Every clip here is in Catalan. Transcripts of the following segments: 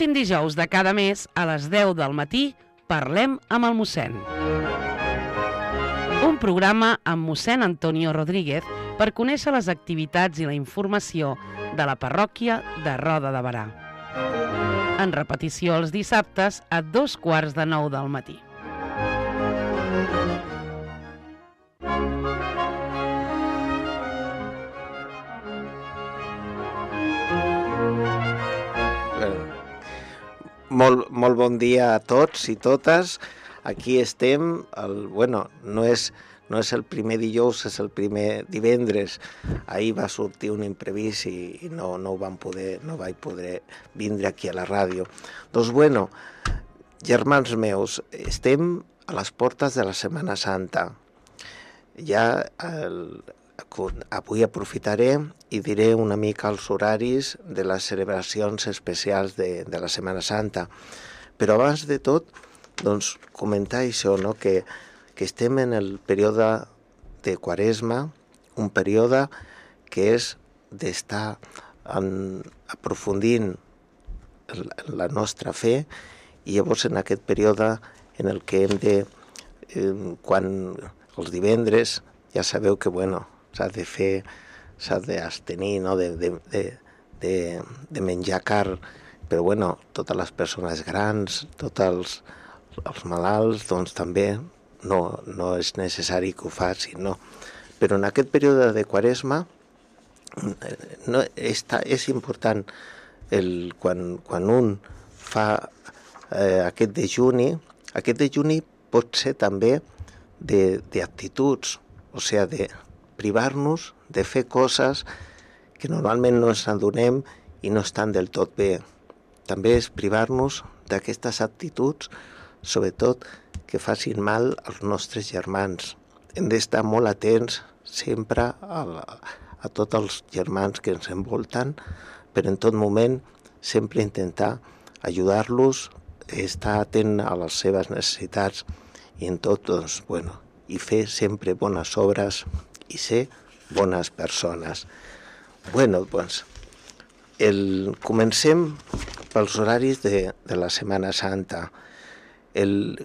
L'últim dijous de cada mes, a les 10 del matí, parlem amb el mossèn. Un programa amb mossèn Antonio Rodríguez per conèixer les activitats i la informació de la parròquia de Roda de Berà. En repetició els dissabtes a 8:45 del matí. Molt bon dia a tots i totes. Aquí estem, no és el primer dijous, és el primer divendres. Ahir va sortir un imprevist i no vaig poder vindre aquí a la ràdio. Doncs germans meus, estem a les portes de la Setmana Santa. Avui aprofitaré i diré una mica els horaris de les celebracions especials de la Setmana Santa. Però abans de tot, doncs, comentar això, no? que estem en el període de Quaresma, un període que és d'estar aprofundint la nostra fe, i llavors en aquest període en el que hem de, quan els divendres, ja sabeu que s'ha de fer, s'ha d'abstenir, no? de menjar carn, però totes les persones grans, tots els malalts, doncs també no és necessari que ho facin, no? Però en aquest període de Quaresma és important quan un fa aquest dejuni pot ser també d'actituds, o sigui, de privar-nos de fer coses que normalment no ens adonem i no estan del tot bé. També és privar-nos d'aquestes actituds, sobretot que facin mal als nostres germans. Hem d'estar molt atents sempre a tots els germans que ens envolten, però en tot moment sempre intentar ajudar-los, estar atent a les seves necessitats i en tot, i fer sempre bones obres i ser bones persones. Comencem pels horaris de la Setmana Santa.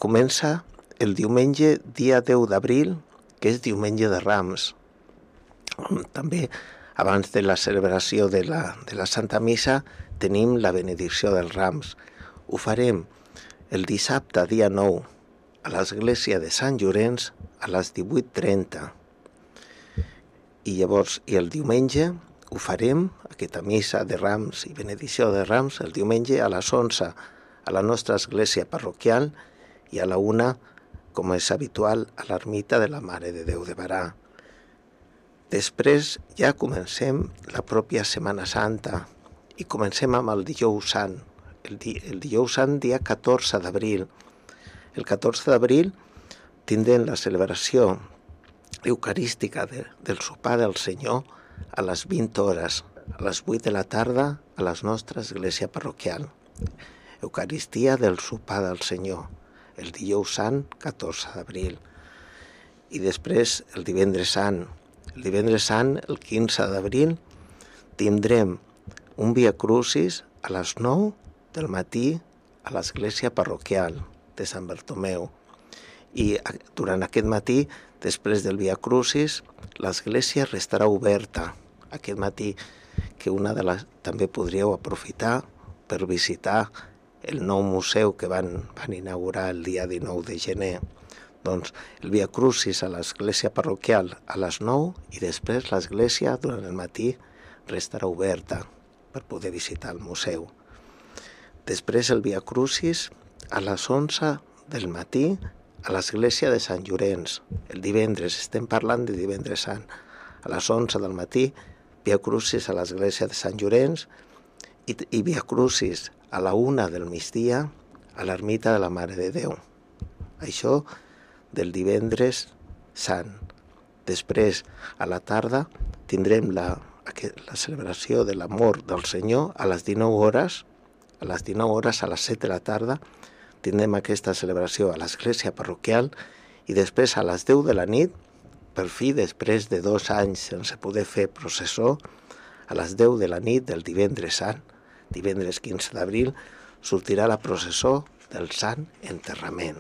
Comença el diumenge, dia 10 d'abril, que és diumenge de Rams. També, abans de la celebració de la Santa Missa, tenim la benedicció dels Rams. Ho farem el dissabte, dia 9, a l'església de Sant Llorenç, a les 18:30. I el diumenge ho farem, aquesta missa de Rams i benedicció de Rams, el diumenge a les 11 a la nostra església parroquial i a la 1, com és habitual, a l'ermita de la Mare de Déu de Berà. Després ja comencem la pròpia Setmana Santa i comencem amb el dijous sant. El dijous sant, dia 14 d'abril. El 14 d'abril tindrem la celebració eucarística del sopar del Senyor a les 20 hores, a les 8 de la tarda, a la nostra església parroquial. Eucaristia del sopar del Senyor, el dijous sant, 14 d'abril. I després el divendres sant. El divendres sant, el 15 d'abril, tindrem un Via Crucis a les 9 del matí a l'església parroquial de Sant Bartomeu. I durant aquest matí, després del Via Crucis, l'església restarà oberta aquest matí, que també podríeu aprofitar per visitar el nou museu que van inaugurar el dia 19 de gener. Doncs el Via Crucis a l'església parroquial a les 9 i després l'església durant el matí restarà oberta per poder visitar el museu. Després el Via Crucis a les 11 del matí a l'església de Sant Llorenç. El divendres, estem parlant de divendres sant. A les 11 del matí, Via Crucis a l'església de Sant Llorenç i Via Crucis a la 1 del migdia a l'ermita de la Mare de Déu. Això del divendres sant. Després, a la tarda, tindrem la celebració de l'amor del Senyor a les 19 hores. A les 19 hores, a les 7 de la tarda, tindrem aquesta celebració a l'església parroquial i després a les 10 de la nit, per fi, després de 2 anys sense poder fer processó, a les 10 de la nit del divendres sant, divendres 15 d'abril, sortirà la processó del Sant Enterrament.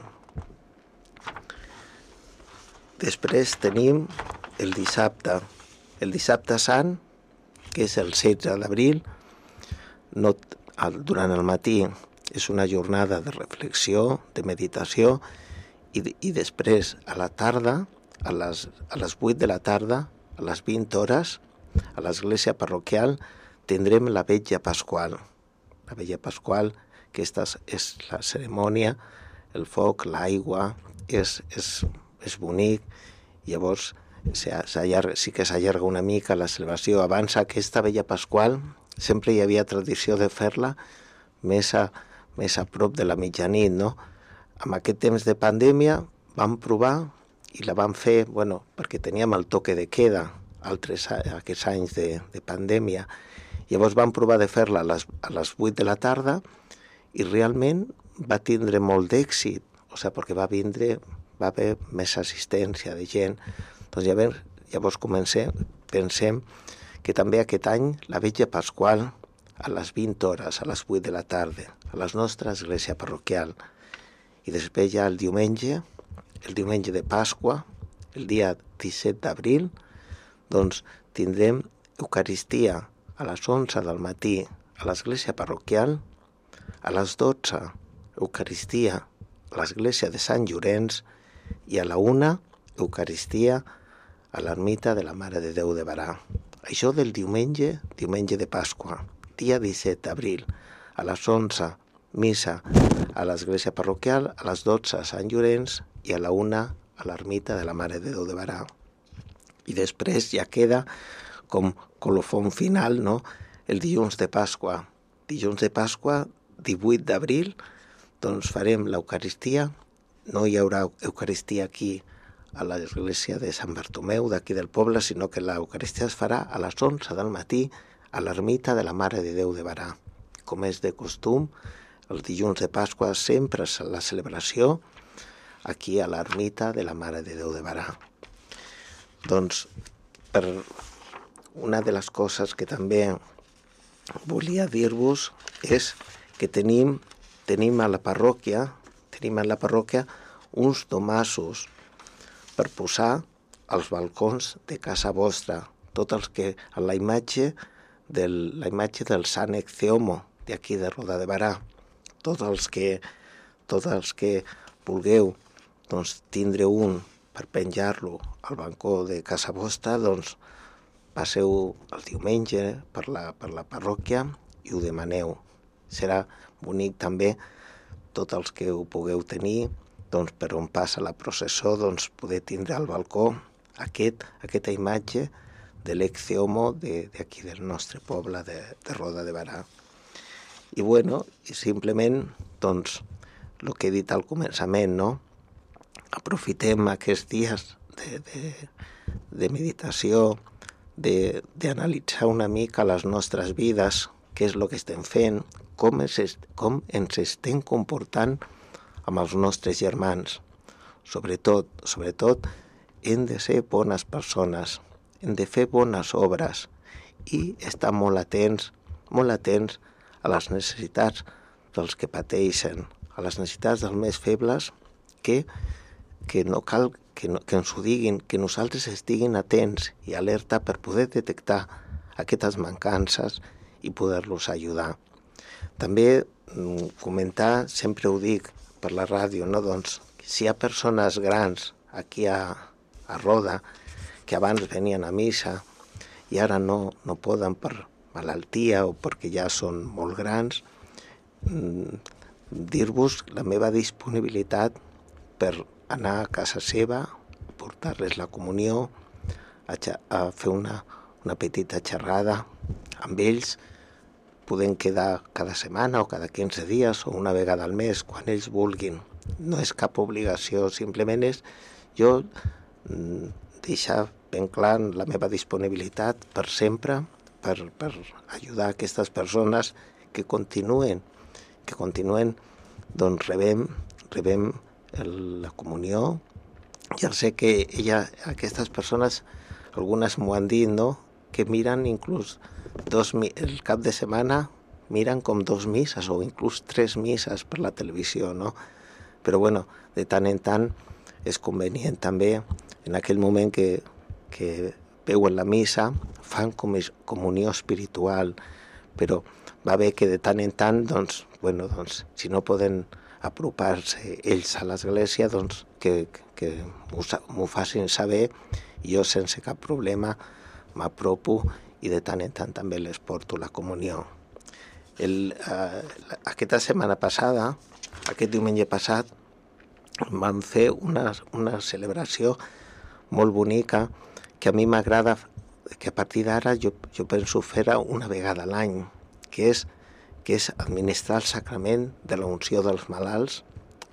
Després tenim el dissabte sant, que és el 16 d'abril. Durant el matí és una jornada de reflexió, de meditació, i després a la tarda, a les 8 de la tarda, a les 20 hores, a l'església parroquial, tindrem la vetlla pasqual. La vetlla pasqual, que és la cerimònia, el foc, l'aigua, és bonic. Llavors sí que s'allarga una mica la celebració. Abans aquesta vetlla pasqual sempre hi havia tradició de fer-la més a prop de la mitjanit, no? En aquest temps de pandèmia vam provar i la vam fer, perquè teníem el toque de queda aquests anys de pandèmia. Llavors vam provar de fer-la a les 8 de la tarda i realment va tindre molt d'èxit, perquè va haver més assistència de gent. Doncs llavors pensem que també aquest any la vetlla pasqual a les 20 hores, a les 8 de la tarda, a la nostra església parroquial. I després ja el diumenge de Pasqua, el dia 17 d'abril, doncs tindrem Eucaristia a les 11 del matí a l'església parroquial, a les 12 Eucaristia a l'església de Sant Llorenç i a la 1 Eucaristia a l'ermita de la Mare de Déu de Barà. Això del diumenge de Pasqua, dia 17 d'abril, a les 11 missa a l'església parroquial, a les 12 a Sant Llorenç i a la 1 a l'ermita de la Mare de Déu de Barà. I després ja queda com colofon final, no?, el dilluns de Pasqua. Dilluns de Pasqua, 18 d'abril, doncs farem l'Eucaristia. No hi haurà Eucaristia aquí a l'església de Sant Bartomeu, d'aquí del poble, sinó que l'Eucaristia es farà a les 11 del matí a l'ermita de la Mare de Déu de Barà. Com és de costum, el dilluns de Pasqua sempre és la celebració aquí a l'ermita de la Mare de Déu de Barà. Doncs, una de les coses que també volia dir-vos és que tenim a la parròquia uns domassos per posar als balcons de casa vostra, tots els que a la imatge del Sant Ecceomo d'aquí de Roda de Barà. Tots els que vulgueu tindre un per penjar-lo al balcó de casa vostra, doncs passeu el diumenge per la parròquia i ho demaneu. Serà bonic també tots els que ho pugueu tenir, per on passa la processó, poder tindre al balcó aquesta imatge de l'Ecceomo d'aquí del nostre poble de Roda de Barà. I simplement, el que he dit al començament, no? Aprofitem aquests dies de meditació, d'analitzar una mica les nostres vides, què és el que estem fent, com ens estem comportant amb els nostres germans. Sobretot, hem de ser bones persones, hem de fer bones obres i estar molt atents a les necessitats dels que pateixen, a les necessitats dels més febles, que no cal que ens ho diguin, que nosaltres estiguin atents i alerta per poder detectar aquestes mancances i poder-los ajudar. També comentar, sempre ho dic per la ràdio, no? Si hi ha persones grans aquí a Roda que abans venien a missa i ara no poden per malaltia o perquè ja són molt grans, dir-vos la meva disponibilitat per anar a casa seva, portar-les la comunió, a fer una petita xerrada amb ells. Podem quedar cada setmana o cada 15 dies o una vegada al mes, quan ells vulguin. No és cap obligació, simplement és jo deixar ben clar la meva disponibilitat per sempre, per ajudar aquestes persones que continuen rebem la comunió. Ja sé que aquestes persones, algunes m'ho han dit, no?, que miren inclús el cap de setmana miren com 2 misses o inclús 3 misses per la televisió, no? Però bueno, de tant en tant és convenient també, en aquell moment que veuen la missa, fan comunió espiritual, però va bé que de tant en tant, doncs, si no poden apropar-se ells a l'església, doncs que m'ho facin saber, i jo sense cap problema m'apropo i de tant en tant també les porto la comunió. Aquesta setmana passada, aquest diumenge passat, vam fer una celebració molt bonica que a mi m'agrada, que a partir d'ara jo penso fer-la una vegada a l'any, que és administrar el sacrament de la unció dels malalts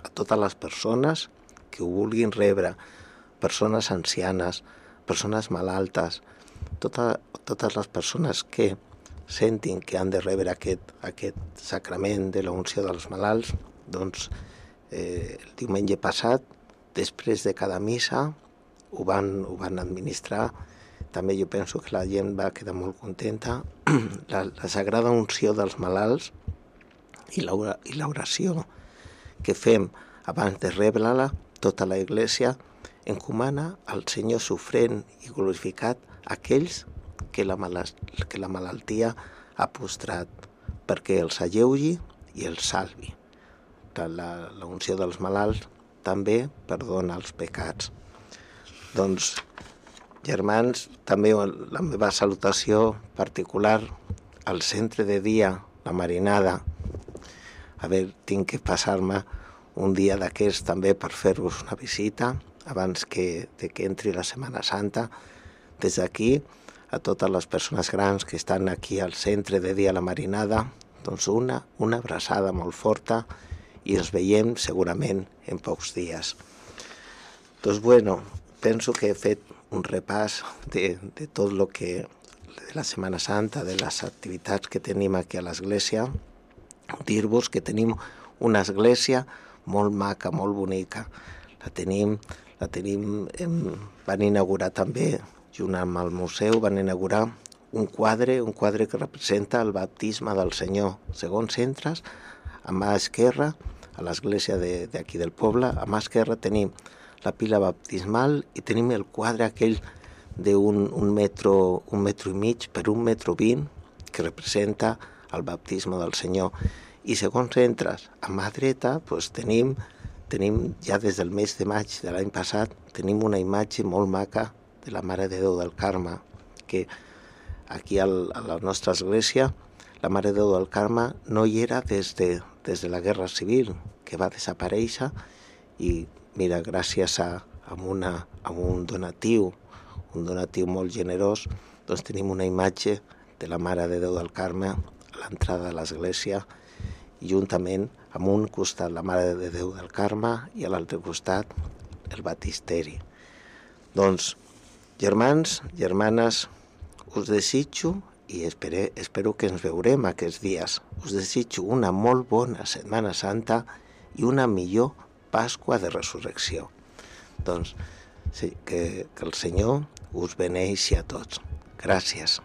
a totes les persones que ho vulguin rebre, persones ancianes, persones malaltes, totes les persones que sentin que han de rebre aquest sacrament de la unció dels malalts. Doncs el diumenge passat, després de cada missa, ho van administrar. També jo penso que la gent va quedar molt contenta. La sagrada unció dels malalts i l'oració que fem abans de rebre-la, tota la Iglésia encomana al Senyor sofrent i glorificat aquells que la malaltia ha postrat, perquè els alleugi i els salvi. La unció dels malalts també perdona els pecats. Doncs, germans, també la meva salutació particular al centre de dia, la Marinada. A veure, tinc que passar-me un dia d'aquests també per fer-vos una visita abans que entri la Setmana Santa. Des d'aquí, a totes les persones grans que estan aquí al centre de dia la Marinada, doncs una abraçada molt forta i els veiem segurament en pocs dies. Doncs bueno, penso que he fet un repàs de tot el que de la Setmana Santa, de les activitats que tenim aquí a l'església. Dir-vos que tenim una església molt maca, molt bonica. Van inaugurar també, junt amb el museu, van inaugurar un quadre que representa el baptisme del Senyor. Segons entres, a mà esquerra, a l'església d'aquí del poble, a mà esquerra tenim la pila baptismal i tenim el quadre aquell d'un metro i mig per 1,20 metres que representa el baptisme del Senyor. I segons entres a mà dreta, doncs tenim ja des del mes de maig de l'any passat, tenim una imatge molt maca de la Mare de Déu del Carme, que aquí a la nostra església, la Mare de Déu del Carme no hi era des de la Guerra Civil, que va desaparèixer, i mira, gràcies a un donatiu molt generós, doncs tenim una imatge de la Mare de Déu del Carme a l'entrada de l'església, i juntament amb un costat la Mare de Déu del Carme i a l'altre costat el Baptisteri. Doncs, germans, germanes, us desitjo, i espero que ens veurem aquests dies, us desitjo una molt bona Setmana Santa i una millor Pasqua de Resurrecció. Doncs sí, que el Senyor us beneixi a tots. Gràcies.